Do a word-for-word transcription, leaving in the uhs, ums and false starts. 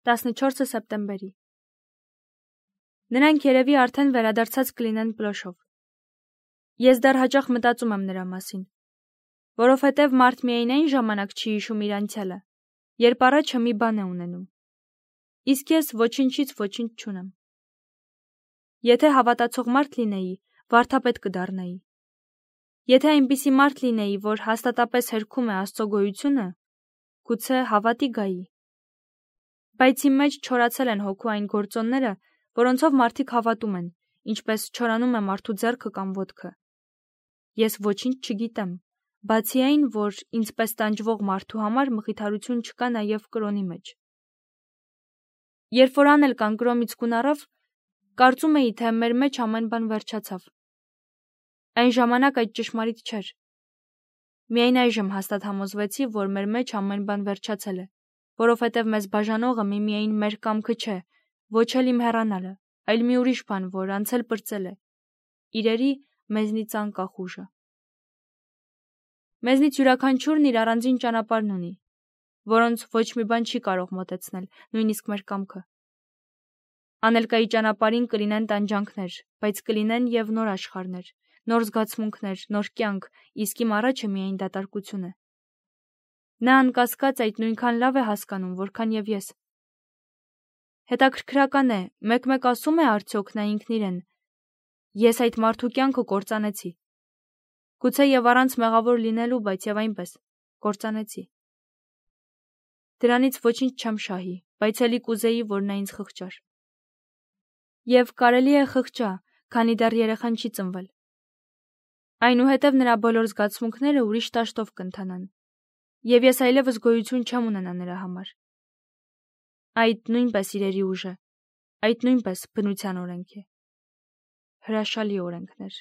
տասնչորսը սեպտեմբերի։ Նրանք երևի արդեն վերադարձած կլինեն Պլոշով։ Ես դեռ հաճախ մտածում եմ նրա մասին, որովհետև մարդ միայն այն ժամանակ չի հիշում իր անցյալը, երբ առաջը մի բան է ունենում։ Իսկ ես ոչինչից ոչինչ չունեմ։ Եթե հավատացող մարդ լինեի, վարդապետ կդառնայի։ Եթե այնպիսի մարդ լինեի, որ հաստատապես հերքում է Աստծո գոյությունը, գուցե հավատի գայի։ Բայց իմ մեջ չորացել են հոգու այն գործոնները, որոնցով մարդիկ հավատում են, ինչպես չորանում է մարդու ձեռքը կամ ոտքը։ Ես ոչինչ չգիտեմ, բացի այն, որ ինձպես տանջվող մարդու համար մխիթարություն չկա նաև կրոնի մեջ։ Երբ որ անել կանգրոմից կուն առավ, կարծում էի, թե մեր մեջ ամեն բան վերջացավ։ Այն ժամանակ այդ ճշմարիտ չէր։ Միայն այժմ հաստատ համոզվեցի, որ մեր մեջ ամեն բան վերջացել է, որովհետև մեզ բաժանողը միմիայն մեր կամքը չէ, ոչ էլ իմ հեռանալը, այլ մի ուրիշ բան, որ անցել պրծել է, իրերի մեզնից անկախ ուժը։ Մեզնից յուրաքանչյուրն իր առանձին ճանապարհն ունի, որոնց ոչ մի բան չի կարող մոտեցնել, նույնիսկ մեր կամքը։ Անելկայի ճանապարհին կլինեն տանջանքներ, բայց կլինեն և նոր աշխարհներ, նոր զգացմունքներ, նոր կյանք, իսկ իմ առաջը միայն դատարկություն է։ Նա անկասկած այդ նույնքան լավ է հասկանում, որքան և ես։ Հետաքրքրական է, մեկ-մեկ ասում է արդյոք նա ինքն իրեն. ես այդ մարդու կյանքը կործանեցի։ Գուցե և առանց մեղավոր լինելու, բայց և այնպես կործանեցի։ Դրանից ոչինչ չեմ շահի, բայց էլի կուզեի, որ նա ինձ խղճար։ Եվ կարելի է խղճա, քանի դեռ երեխան չի ծնվել։ Այնուհետև նրա բոլոր զգացմունքները ուրիշ դաշտով կընթանան, և ես այլևս գոյություն չեմ ունենա նրա համար։ Այդ նույնպես իրերի ուժ է, այդ նույնպես բնության օրենք է։ Հրաշալի օրենքներ։